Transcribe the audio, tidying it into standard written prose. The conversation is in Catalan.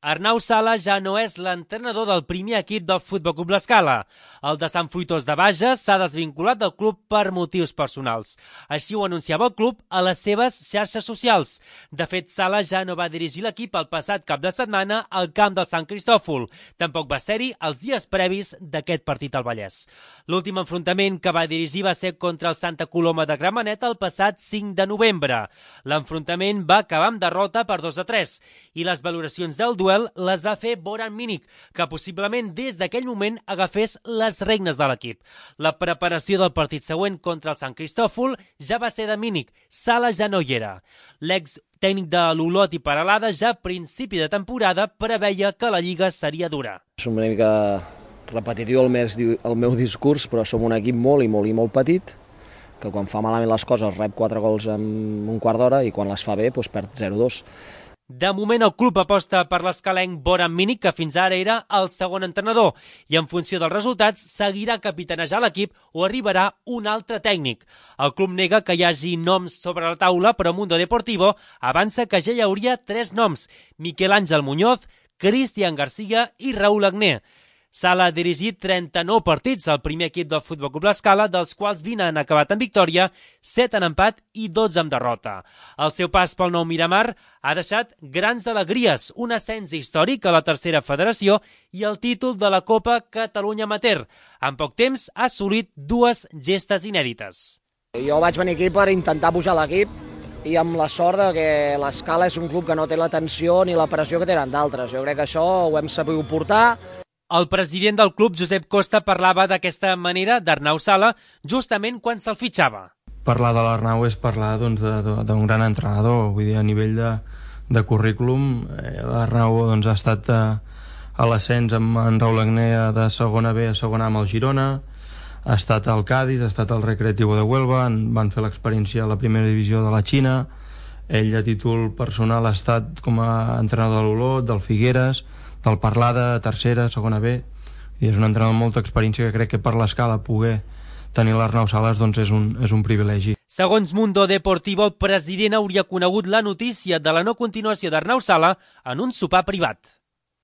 Arnau Sala ja no és l'entrenador del primer equip del Futbol Club L'Escala. El de Sant Fruitós de Bages s'ha desvinculat del club per motius personals. Així ho anunciava el club a les seves xarxes socials. De fet, Sala ja no va dirigir l'equip el passat cap de setmana al camp del Sant Cristòfol. Tampoc va ser-hi els dies previs d'aquest partit al Vallès. L'últim enfrontament que va dirigir va ser contra el Santa Coloma de Gramenet el passat 5 de novembre. L'enfrontament va acabar amb derrota per 2-3 i les valoracions del duel les va fer Boran Minic, que possiblement des d'aquell moment agafés les regnes de l'equip. La preparació del partit següent contra el Sant Cristòfol ja va ser de Minic. Sala ja no hi era. L'ex tècnic de l'Olot i Peralada ja a principi de temporada preveia que la Lliga seria dura. És una mica repetitiu el meu discurs, però som un equip molt petit, que quan fa malament les coses rep 4 gols en un quart d'hora i quan les fa bé perd 0-2. De moment el club aposta per l'escalenc Boran Minic, que fins ara era el segon entrenador, i en funció dels resultats seguirà capitanejar l'equip o arribarà un altre tècnic. El club nega que hi hagi noms sobre la taula, però Mundo Deportivo avança que ja hi hauria 3 noms: Miquel Àngel Muñoz, Cristian García i Raúl Agné. Sala ha dirigit 39 partits al primer equip del Futbol Club L'Escala, dels quals 20 han acabat en victòria, 7 en empat i 12 en derrota. El seu pas pel nou Miramar ha deixat grans alegries, un ascens històric a la tercera federació i el títol de la Copa Catalunya Amateur. En poc temps ha assolit 2 gestes inèdites. Jo vaig venir aquí per intentar pujar l'equip i amb la sort que l'Escala és un club que no té la tensió ni la pressió que tenen d'altres. Jo crec que això ho hem sabut portar. El president del club, Josep Costa, parlava d'aquesta manera d'Arnau Sala justament quan se'l fitxava. Parlar de l'Arnau és parlar d'un gran entrenador, vull dir, a nivell de currículum. L'Arnau ha estat a l'ascens amb en Raúl Agné de segona B a segona A amb el Girona, ha estat al Cádiz, ha estat al Recreativo de Huelva, van fer l'experiència a la primera divisió de la Xina. Ell a títol personal ha estat com a entrenador de l'Olot, del Figueres, del Parlada, tercera, segona B, i és un entrenador amb molta experiència que crec que per l'Escala poder tenir l'Arnau Sales és un privilegi. Segons Mundo Deportivo, el president hauria conegut la notícia de la no continuació d'Arnau Sala en un sopar privat.